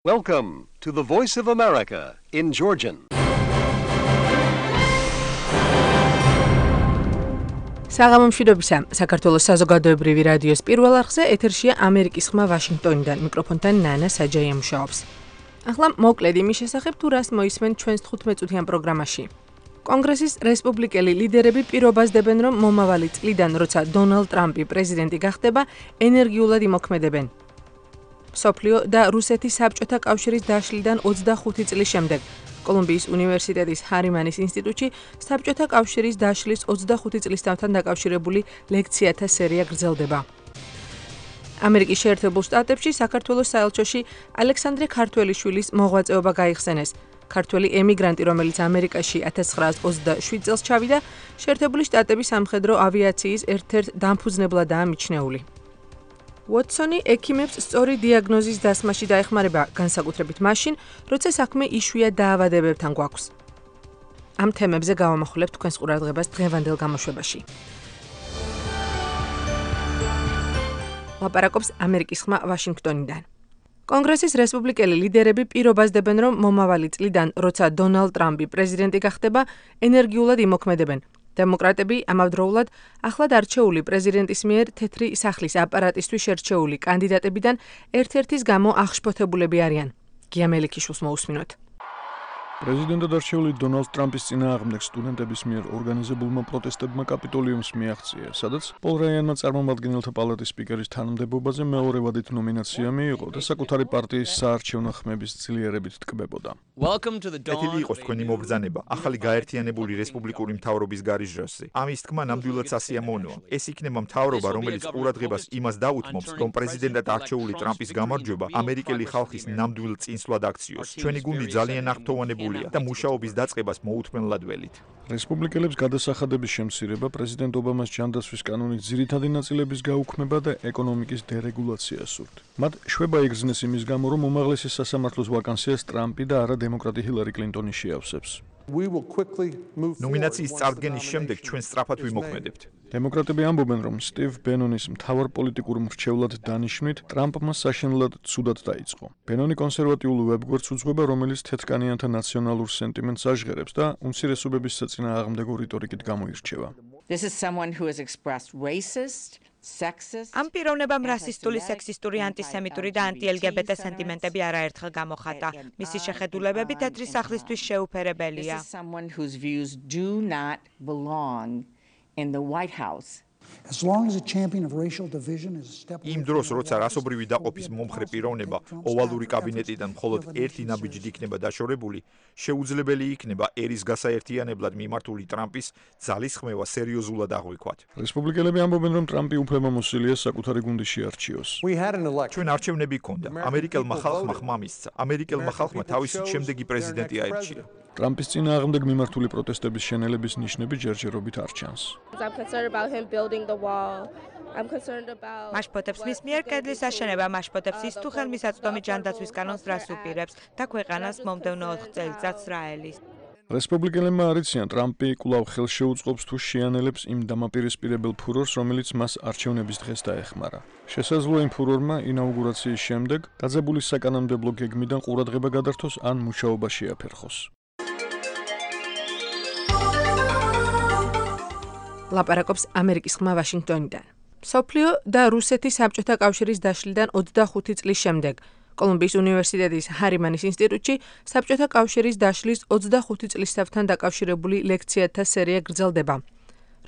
Welcome to the Voice of America in Georgian. საღამომშვიდობისა, საქართველოს საზოგადოებრივი რადიოს პირველ არხზე ეთერშია ამერიკის ხმა ვაშინგტონიდან. მიკროფონთან ნანა საჯაია მუშაობს. ახლა მოკლედ იმის შესახებ თუ რას მოისმენ ჩვენს 15-წუთიან პროგრამაში. კონგრესის რესპუბლიკელი ლიდერები პირობას დებენ, რომ მომავალი წლიდან, როცა დონალდ ტრამპი პრეზიდენტი გახდება, ენერგიულად იმოქმედებენ. მსოფლიო და რუსეთის საბჭოთა კავშირის დაშლიდან 25 წლის შემდეგ კოლუმბიის უნივერსიტეტის ჰარიმანის ინსტიტუტში საბჭოთა კავშირის დაშლის 25 წლისთავთან დაკავშირებული ლექციათა სერია გრძელდება. ამერიკის შეერთებულ შტატებში საქართველოს საელჩოში ალექსანდრე ქართველიშვილის მოღვაწეობა გაიხსენეს. ქართველი ემიგრანტი, რომელიც ამერიკაში 1927 წელს ჩავიდა, შეერთებული შტატების სამხედრო ავიაციის ერთ-ერთ დამფუძნებლადაა მიჩნეული. უოტსონი ექიმებს სწორი დიაგნოზის დასმაში დაეხმარება, განსაკუთრებით მაშინ, როცა საქმე იშვიათ დაავადებებთან გვაქვს. ამ თემებზე გავამახვილებთ თქვენს ყურადღებას დღევანდელ გამოშვებაში. ლაპარაკობს ამერიკის ხმა ვაშინგტონიდან. კონგრესის რესპუბლიკელი ლიდერები პირობას დებენ, რომ მომავალი წლიდან, როცა დონალდ ტრამპი პრეზიდენტი გახდება, ენერგიულად იმოქმედებენ. დემოკრატები ამავდროულად ახლად არჩეული პრეზიდენტის მიერ თეთრი სახლის აპარატისთვის შერჩეული კანდიდატებიდან ერთ-ერთის გამო აღშფოთებულები არიან. გია მელიქიშვილს მოусმინოთ. პრეზიდენტად არჩეული დონალდ ტრამპის წინააღმდეგ სტუდენტების მიერ ორგანიზებულმა პროტესტებმა კაპიტოლიუმს მიაღწია, სადაც პოლ რაიანმა წარმომადგენელთა პალატის სპიკერის თანამდებობაზე მეორე ვადით ნომინაცია მიიღო და საკუთარი პარტიის საარჩევნო ხმების ძლიერებით ტკბებოდა. ეთილი იყოს თქვენი მობრძანება ახალი გაერთიანებული რესპუბლიკური მთავრობის გარიჟრასზე. ამის თქმა ნამდვილად სასიამოვნოა. ეს იქნება მთავრობა, რომელიც ყურადღებას იმას დაუთმობს, რომ პრეზიდენტად არჩეული ტრამპის გამარჯვება ამერიკელი ხალხის ნამდვილ წინსვლად აქციოს. ჩვენი გუნდი ძალიან აღფრთოვანებული და მუშაობის დაწყებას მოუთმენლად ველით. რესპუბლიკელებს გადასახადების შემცირება, პრეზიდენტ ობამას ჯანდაცვის კანონის ძირითადი ნაწილების გაუქმება და ეკონომიკის დერეგულაცია სურთ. მათ შვება იგრძნეს იმის გამო, რომ უმაღლესი სასამართლოს ვაკანსიას ტრამპი და არა დემოკრატი ჰილარი კლინტონი შეავსებს. ნომინაციის წარდგენის შემდეგ ჩვენ სწრაფად ვიმოქმედებთ. დემოკრატები ამბობენ, რომ სტივ ბენონის მთავარ პოლიტიკურ მრჩევლად დანიშვნით ტრამპმა საშინლად ცუდად დაიწყო. ბენონი კონსერვატიულ ვებგვერდს უძღვება, რომელიც თეთრკანიანთა ნაციონალურ სენტიმენტს აჟღერებს და უმცირესობების საწინააღმდეგო რიტორიკით გამოირჩევა. ამ პიროვნებამ რასისტული, სექსისტური, ანტისემიტური და ანტი-LGBT სენტიმენტები არაერთხელ გამოხატა. მისი შეხედულებები თეთრი სახლისთვის შეუფერებელია. იმ დროს, როცა რასობრივი დაყოფის მომხრე პიროვნება ოვალური კაბინეტიდან მხოლოდ ერთი ნაბიჯით იქნება დაშორებული, შეუძლებელი იქნება ერის გასაერთიანებლად მიმართული ტრამპის ძალისხმევა სერიოზულად აღვიქვათ. რესპუბლიკელები ამბობენ, რომ ტრამპი უფლებამოსილია საკუთარი გუნდი შეარჩიოს. ჩვენ არჩევნები გქონდა. ამერიკელმა ხალხმა ხმა მისცა. ამერიკელმა ხალხმა თავისი შემდეგი პრეზიდენტი აირჩია. ტრამპის წინააღმდეგ მიმართული პროტესტების შენელების ნიშნები ჯერჯერობით არ ჩანს. მაშფოთებს მის მიერ კედლის აშენება, მაშფოთებს ის თუ ხელმისაწვდომი ჯანდაცვის კანონს რას უპირებს და ქვეყანას მომდევნო 4 წელიწადს რა ელის. რესპუბლიკელებმა არიციან, ტრამპი კვლავ ხელს შეუწყობს თუ შეანელებს იმ დამაპირისპირებელ ფურორს, რომელიც მას არჩევნების დღეს დაეხმარა. შესაძლოა იმ ფურორმა ინაუგურაციის შემდეგ დაძაბული საკანონმდებლო გეგმიდან ყურადღება გადართოს ან მუშაობა შეაფერხოს. ლაპარაკობს ამერიკის ხმა ვაშინგტონიდან. მსოფლიო და რუსეთის საბჭოთა კავშირის დაშლიდან 25 წლის შემდეგ კოლუმბიის უნივერსიტეტის ჰარიმანის ინსტიტუტში საბჭოთა კავშირის დაშლის 25 წლისთავთან დაკავშირებული ლექციათა სერია გრძელდება.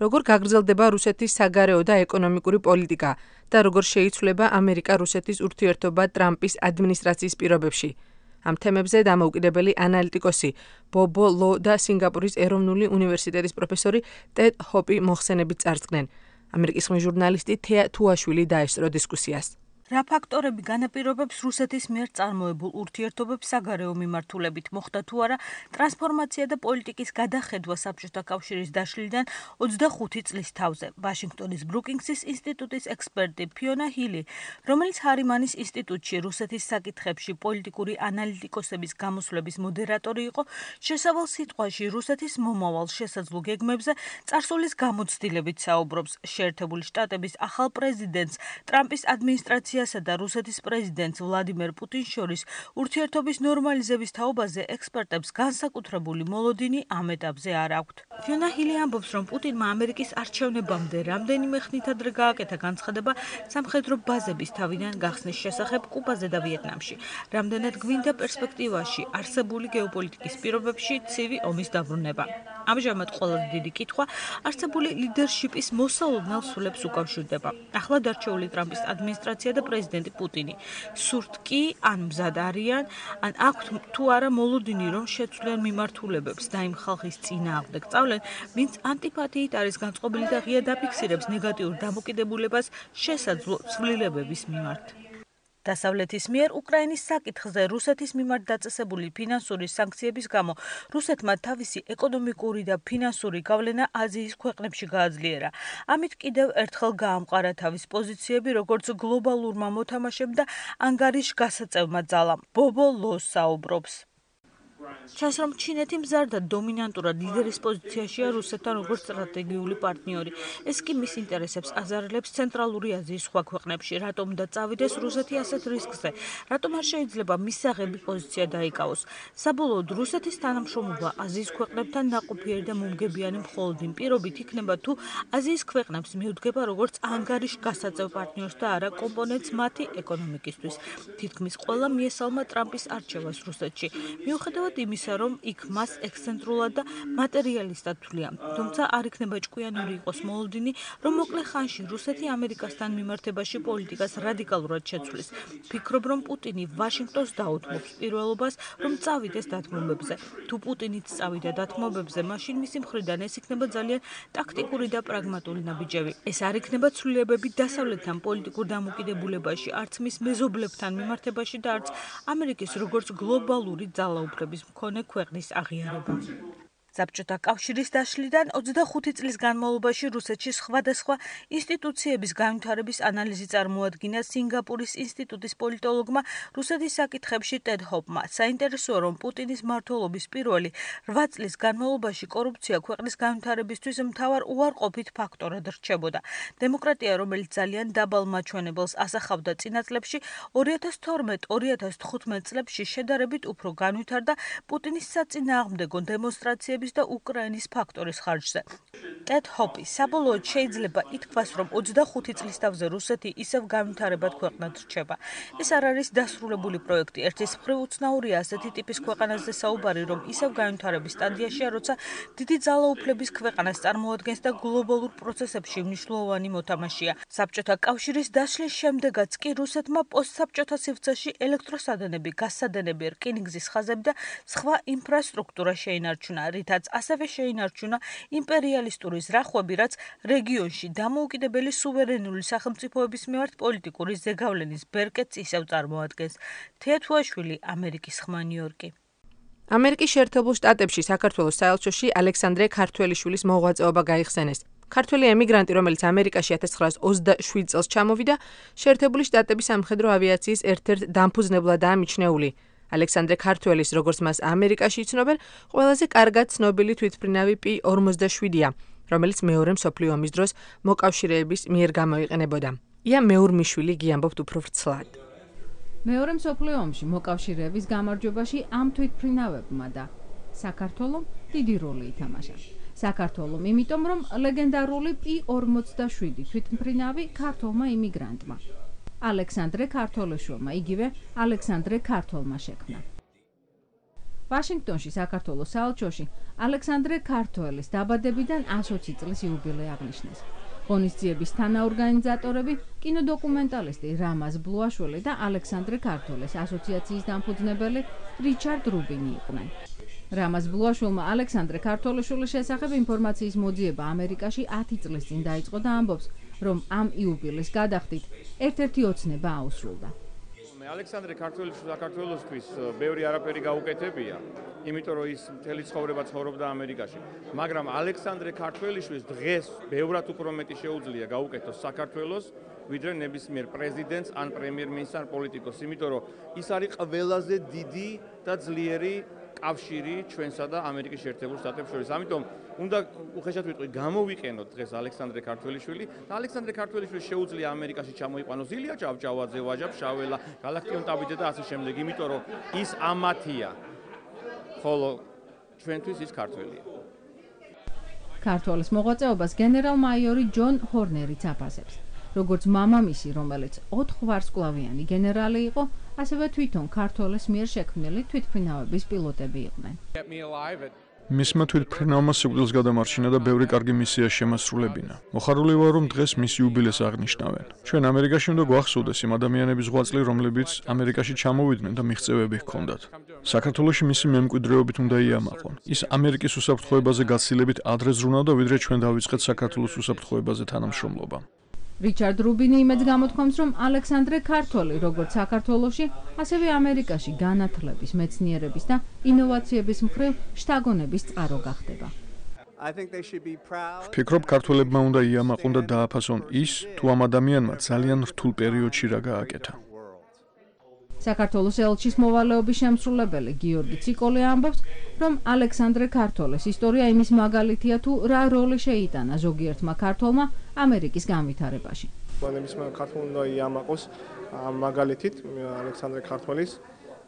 როგორ გაგრძელდება რუსეთის საგარეო და ეკონომიკური პოლიტიკა და როგორ შეიცვლება ამერიკა-რუსეთის ურთიერთობა ტრამპის ადმინისტრაციის პირობებში. ამ თემებზე დამოუკიდებელი ანალიტიკოსი ბობო ლო და სინგაპურის ეროვნული უნივერსიტეტის პროფესორი ტედ ჰოპი მოხსენებით წარსდგნენ. ამერიკის ხმის ჟურნალისტი თეა თუაშვილი დაესწრო დისკუსიას. რა ფაქტორები განაპირობებს რუსეთის მიერ წარმოებულ ურთიერთობებს საგარეო მიმართულებით მოხდა თუ არა ტრანსფორმაცია და პოლიტიკის გადახედვა საბჭოთა კავშირის დაშლიდან 25 წლის თავზე. ვაშინგტონის ბრუკინგსის ინსტიტუტის ექსპერტი ფიონა ჰილი, რომელიც ჰარიმანის ინსტიტუტში რუსეთის საკითხებში პოლიტიკური ანალიტიკოსების გამოსვლების მოდერატორი იყო, შესავალ სიტყვაში რუსეთის მომავალ შესაძლო გეგმებზე წარსულის გამოცდილებით საუბრობს. შეერთებული შტატების ახალ პრეზიდენტს ტრამპის ადმინისტრაცია ფედერაციასა და რუსეთის პრეზიდენტს ვლადიმერ პუტინს შორის ურთიერთობის ნორმალიზების თაობაზე ექსპერტებს განსაკუთრებული მოლოდინი ამ ეტაპზე არ აქვთ. ფიონა ჰილი ამბობს, რომ პუტინმა ამერიკის არჩევნებამდე რამდენიმე ხნით ადრე გააკეთა განცხადება სამხედრო ბაზების თავიდან გახსნის შესახებ კუბაზე და ვიეტნამში. რამდენად გვინდა პერსპექტივაში არსებული გეოპოლიტიკის პირობებში ცივი ომის დაბრუნება. ამჟამად ყველაზე დიდი კითხვა არსებული ლიდერშიპის მოსალოდნელ სულებს უკავშირდება. ახლად არჩეული ტრამპის ადმინისტრაცია და პრეზიდენტი პუტინი. სურთ კი ან მზად არიან, ან აქვთ თუ არა მოლოდინი, რომ შეცვლიან მიმართულებებს და იმ ხალხის წინააღმდეგ სწავლენ, ვინც ანტიპათიით არის განწყობილი და ღია დაფიქსირებს ნეგატიურ დამოკიდებულებას შესაძლო ცვლილებების მიმართ. დასავლეთის მიერ უკრაინის საკითხზე რუსეთის მიმართ დაწესებული ფინანსური სანქციების გამო რუსეთმა თავისი ეკონომიკური და ფინანსური გავლენა აზიის ქვეყნებში გააძლიერა. ამით კიდევ ერთხელ გაამყარა თავის პოზიციები როგორც გლობალურმა მოთამაშემ და ანგარიშგასაწევმა ძალამ. ბობო ლოს საუბრობს. ჩანს, რომ ჩინეთი მზარ და დომინანტურად ლიდერის პოზიციაშია რუსეთთან როგორც სტრატეგიული პარტნიორი. ეს კი მის ინტერესებს აზარელებს ცენტრალური აზიის სხვა ქვეყნებში. რატომ და წავიდეს რუსეთი ასეთ რისკზე? რატომ არ შეიძლება მისაღები პოზიცია დაიკავოს? საბოლოოდ რუსეთის თანამშრომლობა აზიის ქვეყნებთან ნაყოფიერი და მომგებიანი მხოლოდ იმ პირობით იქნება, თუ აზიის ქვეყნებს მიუდგება როგორც ანგარიშგასაწევ პარტნიორს და არა კომპონენტს მათი ეკონომიკისთვის. თითქმის ყველა მიესალმა ტრამპის არჩევას რუსეთში. მიუხედავად იმისა, რომ იქ მას ექსცენტრულად და მატერიალისტად თვლიან. თუმცა არ იქნება ჭკვიანური იყოს მოლოდინი, რომ მოკლე ხანში რუსეთი ამერიკასთან მიმართებაში პოლიტიკას რადიკალურად შეცვლის. ფიქრობ, რომ პუტინი ვაშინგტონს დაუთმობს პირველობას, რომ წავიდეს დათმობებზე. თუ პუტინიც წავიდა დათმობებზე, მაშინ მისი მხრიდან ეს იქნება ძალიან ტაქტიკური და პრაგმატული ნაბიჯები. ეს არ იქნება ცვლილებები დასავლეთთან პოლიტიკურ დამოკიდებულებაში, არც მის მეზობლებთან მიმართებაში და არც ამერიკის როგორც გლობალური ძალაუფლების მქონე ქვეყნის აღიარება. საბჭოთა კავშირის დაშლიდან 25 წლის განმავლობაში რუსეთში სხვადასხვა ინსტიტუციების განვითარების ანალიზი წარმოადგინა სინგაპურის ინსტიტუტის პოლიტოლოგმა რუსეთის საკითხებში ტედ ჰოპმა. საინტერესოა, რომ პუტინის მმართველობის პირველი 8 წლის განმავლობაში კორუფცია ქვეყნის განვითარებისთვის მთავარ უარყოფით ფაქტორად რჩებოდა. დემოკრატია, რომელიც ძალიან დაბალ მაჩვენებელს ასახავდა წინა წლებში, 2012-2015 წლებში შედარებით უფრო განვითარდა პუტინის საწინააღმდეგო დემონსტრაციების და უკრაინის ფაქტორის ხარჯზე. ტედ ჰოპი საბოლოოდ შეიძლება ითქვას, რომ 25 წლის თავზე რუსეთი ისევ განვითარებად ქვეყნად რჩება. ეს არ არის დასრულებული პროექტი. ერთის მხრივ უცნაურია ასეთი ტიპის ქვეყანაზე საუბარი, რომ ისევ განვითარების სტადიაშია, როცა დიდი ძალაუფლების ქვეყანას წარმოადგენს და გლობალურ პროცესებში მნიშვნელოვანი მოთამაშეა. საბჭოთა კავშირის დაშლის შემდეგაც კი რუსეთმა პოსტსაბჭოთა სივრცეში ელექტროსადენები, გაზსადენები, რკინიგზის ხაზები და სხვა ინფრასტრუქტურა შეინარჩუნა, რითაც ასევე შეინარჩუნა იმპერიალისტური ზრახვები, რაც რეგიონში დამოუკიდებელი სუვერენული სახელმწიფოების მიმართ პოლიტიკური ზეგავლენის ბერკეტს ისევ წარმოადგენს. თეათუაშვილი, ამერიკის ხმა, ნიუ-იორკი. ამერიკის შეერთებულ შტატებში საქართველოს საელჩოში ალექსანდრე ქართველიშვილის მოღვაწეობა გაიხსენეს. ქართველი ემიგრანტი, რომელიც ამერიკაში 1927 წელს ჩამოვიდა, შეერთებული შტატების სამხედრო ავიაციის ერთ-ერთ დამფუძნებლადაა მიჩნეული. ალექსანდრე ქართველის, როგორც მას ამერიკაში იცნობენ, ყველაზე კარგად ცნობილი თვითმფრინავი P-47-ია, რომელიც მეორე მსოფლიო ომის დროს მოკავშირეების მიერ გამოიყენებოდა. ია მეურმიშვილი გიამბობთ უფრო ვრცლად. მეორე მსოფლიო ომში მოკავშირეების გამარჯვებაში ამ თვითმფრინავებმა და საქართველომ დიდი როლი ითამაშა. საქართველომ, იმიტომ რომ ლეგენდარული P-47 თვითმფრინავი ქართველმა იმიგრანტმა ალექსანდრე ქართველიშვილმა, იგივე ალექსანდრე ქართველმა შექმნა. ვაშინგტონში საქართველოს საელჩოში ალექსანდრე ქართველის დაბადებიდან 120 წლის იუბილე აღნიშნეს. ღონისძიების თანაორგანიზატორები კინოდოკუმენტალისტი რამაზ ბლუაშვილი და ალექსანდრე ქართველის ასოციაციის დამფუძნებელი რიჩარდ რუბინი იყვნენ. რამაზ ბლუაშვილმა ალექსანდრე ქართველიშვილის შესახებ ინფორმაციის მოძიება ამერიკაში 10 წლის წინ დაიწყო და ამბობს, რომ ამ იუბილეს გადახდით ერთ-ერთი ოცნება აუსრულდა. ალექსანდრე ქართველიშვილს საქართველოსთვის ბევრი არაფერი გაუკეთებია, იმიტომ რომ ის მთელი ცხოვრება ცხოვრობდა ამერიკაში. მაგრამ ალექსანდრე ქართველიშვილს დღეს ბევრად უფრო მეტი შეუძლია გაუკეთოს საქართველოს, ვიდრე ნებისმიერ პრეზიდენტს ან პრემიერ-მინისტრს ან პოლიტიკოს, იმიტომ რომ ის არის ყველაზე დიდი და ძლიერი კავშირი ჩვენსა და ამერიკის შეერთებულ შტატებს შორის. ამიტომ უნდა უხეშად ვიტყვი, გამოვიყენოთ დღეს ალექსანდრე ქართველიშვილი და ალექსანდრე ქართველიშვილი შეუძლია ამერიკაში ჩამოიყვანოს ილია ჭავჭავაძე, ვაჟა ფშაველა, გალაქტიონ ტაბიძე და ასე შემდეგ, იმიტომ რომ ის ამათია. ხოლო ჩვენთვის ის ქართველია. ქართველის მოღვაწეობას გენერალ-მაიორი ჯონ ჰორნერიც აფასებს. როგორც მამამისი, რომელიც 4 ვარსკვლავიანი გენერალი იყო, ასევე თვითონ ქართველის მიერ შექმნილი თვითმფრინავების პილოტები იყვნენ. მისმა თვითმფრინავმა სიკვდილს გადამარჩინა და ბევრი კარგი მისია შემასრულებინა. მოხარული ვარ, რომ დღეს მის იუბილეს აღნიშნავენ. ჩვენ ამერიკაში უნდა გვახსოვდეს იმ ადამიანების ღვაწლი, რომლებიც ამერიკაში ჩამოვიდნენ და მიღწევები ჰქონდათ. საქართველოში მისი მემკვიდრეობით უნდა იამაყონ. ის ამერიკის უსაფრთხოებაზე გაცილებით ადრე ზრუნავდა, ვიდრე ჩვენ დავიწყეთ საქართველოს უსაფრთხოებაზე თანამშრომლობა. რიჩარდ რუბინი იმედს გამოთქვამს, რომ ალექსანდრე ქართველი, როგორც საქართველოში, ასევე ამერიკაში განათლების, მეცნიერების და ინოვაციების მხრივ შთაგონების წყარო გახდება. ვფიქრობ, ქართველებმა უნდა იამაყონ და დააფასონ ის, თუ ამ ადამიანმა ძალიან რთულ პერიოდში რა გააკეთა. საქართველოს ელჩის მოვალეობის შემსრულებელი გიორგი ციკოლე ამბობს, რომ ალექსანდრე ქართველის ისტორია იმის მაგალითია, თუ რა როლი შეიტანა ზოგიერთმა ქართველმა ამერიკის განვითარებაში. ნებისმიერ ქართველ უნდა იამაყოს მაგალითით ალექსანდრე ქართველის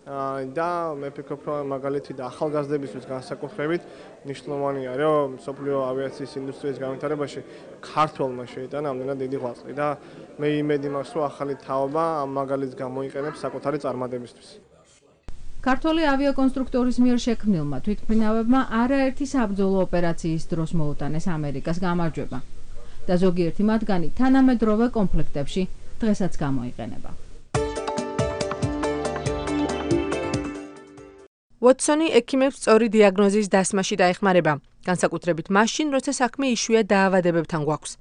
და მე ვფიქრობ, რომ მაგალითი და ახალგაზრდებისთვის განსაკუთრებით მნიშვნელოვანია, რომ მსოფლიო ავიაციის ინდუსტრიის განვითარებაში ქართველმა შეიტანა ამდენად დიდი ღვაწლი და მე იმედი მაქვს, რომ ახალი თაობა ამ მაგალითს გამოიყენებს საკუთარი წარმატებისთვის. ქართველი ავიაკონსტრუქტორის მიერ შექმნილმა თვითმფრინავებმა არაერთი საბრძოლო ოპერაციის დროს მოუტანეს ამერიკას გამარჯვება და ზოგიერთი მათგანი თანამედროვე კონფლიქტებში დღესაც გამოიყენება. ვოტსონი ექიმებს სწორი დიაგნოზის დასმაში დაეხმარება, განსაკუთრებით მაშინ, როცა საქმე იშვიათ დაავადებებთან გვაქვს.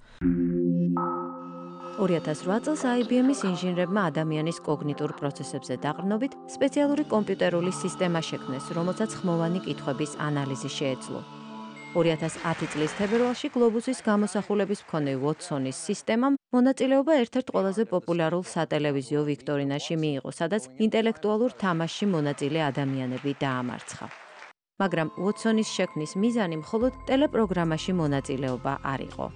2008 წელს IBM-ის ინჟინრებმა ადამიანის კოგნიტურ პროცესებზე დაყრდნობით სპეციალური კომპიუტერული სისტემა შექმნეს, რომელსაც ხმოვანი კითხვების ანალიზი შეეძლო. 2010 წლის თებერვალში გლობუსის გამოსახულების მქონე ვოტსონის სისტემამ მონაწილეობა ერთ-ერთ ყველაზე პოპულარულ სატელევიზიო ვიქტორინაში მიიღო, სადაც ინტელექტუალურ თამაშში მონაწილე ადამიანები დაამარცხა. მაგრამ ვოტსონის შექმნის მიზანი მხოლოდ ტელეპროგრამაში მონაწილეობა არ იყო.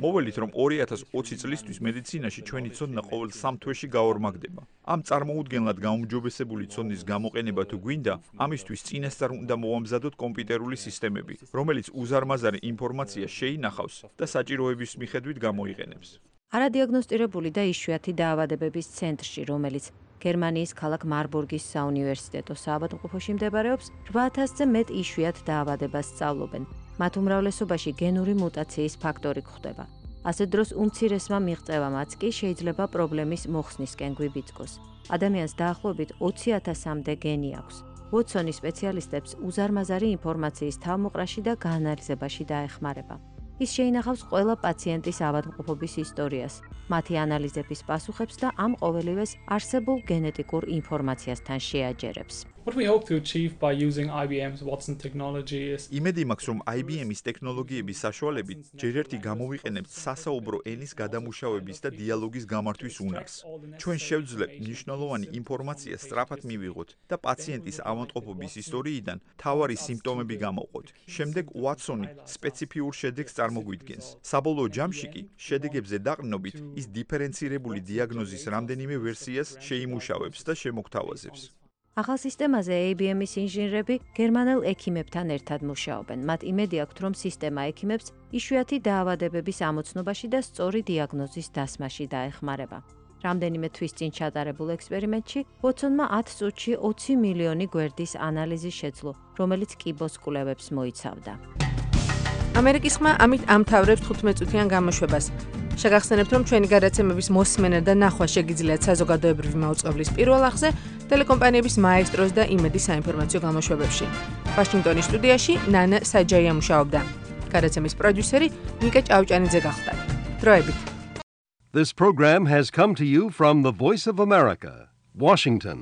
მოველით, რომ 2020 წლისთვის მედიცინაში ჩვენი ცოდნა ყოველ 3 თვეში გაორმაგდება. ამ წარმოუდგენლად გაუმჯობესებული ცოდნის გამოყენება თუ გვინდა, ამისთვის წინასწარ უნდა მოვამზადოთ კომპიუტერული სისტემები, რომელიც უზარმაზარი ინფორმაცია შეინახავს და საჭიროების მიხედვით გამოიყენებს. არადიაგნოსტირებული და იშვიათი დაავადებების ცენტრში, რომელიც გერმანიის ქალაქ მარბურგის საუნივერსიტეტო საავადმყოფოში მდებარეობს, 8000-ზე მეტ იშვიათ დაავადებას სწავლობენ. მათ უმრავლესობაში გენური მუტაციის ფაქტორი გვხვდება. ასე დროს უმცირესმა მიღწევამაც კი შეიძლება პრობლემის მოხსნისკენ გვიბიძგოს. ადამიანს დაახლოებით 20,000-მდე გენი აქვს. ვოტსონი სპეციალისტებს უზარმაზარი ინფორმაციის თავმოყრაში და გაანალიზებაში დაეხმარება. ის შეინახავს ყველა პაციენტის ავადმყოფობის ისტორიას, მათი ანალიზების პასუხებს და ამ ყოველივეს არსებულ გენეტიკურ ინფორმაციასთან შეაჯერებს. What we hope to achieve by using IBM's Watson technology is იმედი მაქვს, რომ IBM-ის ტექნოლოგიების საშუალებით ჯერ ერთი გამოვიყენებთ სასაუბრო ენის გადამუშავების და დიალოგის გამართვის უნარს. ჩვენ შევძლებთ მნიშვნელოვანი ინფორმაცია სწრაფად მივიღოთ და პაციენტის ავადმყოფობის ისტორიიდან მთავარი სიმპტომები გამოვყოთ. შემდეგ Watson-ი სპეციფიურ შედეგს წარმოგვიდგენს. საბოლოო ჯამში კი შედეგებზე დაყრდნობით ის დიფერენცირებული დიაგნოზის რამდენიმე ვერსიას შეიმუშავებს და შემოგთავაზებს. ახალ სისტემაზე IBM-ის ინჟინრები გერმანელ ექიმებთან ერთად მუშაობენ. მათ იმედი აქვთ, რომ სისტემა ექიმებს იშვიათი დაავადებების ამოცნობაში და სწორი დიაგნოზის დასმაში დაეხმარება. რამდენიმე თვის წინ ჩატარებულ ექსპერიმენტში ვოტსონმა 10 წუთში 20 მილიონი გვერდის ანალიზი შეძლო, რომელიც კიბოს კვლევებს მოიცავდა. ამერიკის ხმა ამით ამთავრებს 15 წუთიან გამოშვებას. შეგახსენებთ, რომ ჩვენი გადაცემების მოსმენა და ნახვა შეგიძლიათ საზოგადოებრივი მაუწყებლის პირველ არხზე, ტელეკომპანიების მაესტროს და იმედი საინფორმაციო გამოშვებებში. ვაშინგტონის სტუდიაში ნანა საჯაია მუშაობდა. გადაცემის პროდიუსერი ნიკა ჭავჭანიძე გახლდათ. დროებით. This program has come to you from the Voice of America, Washington.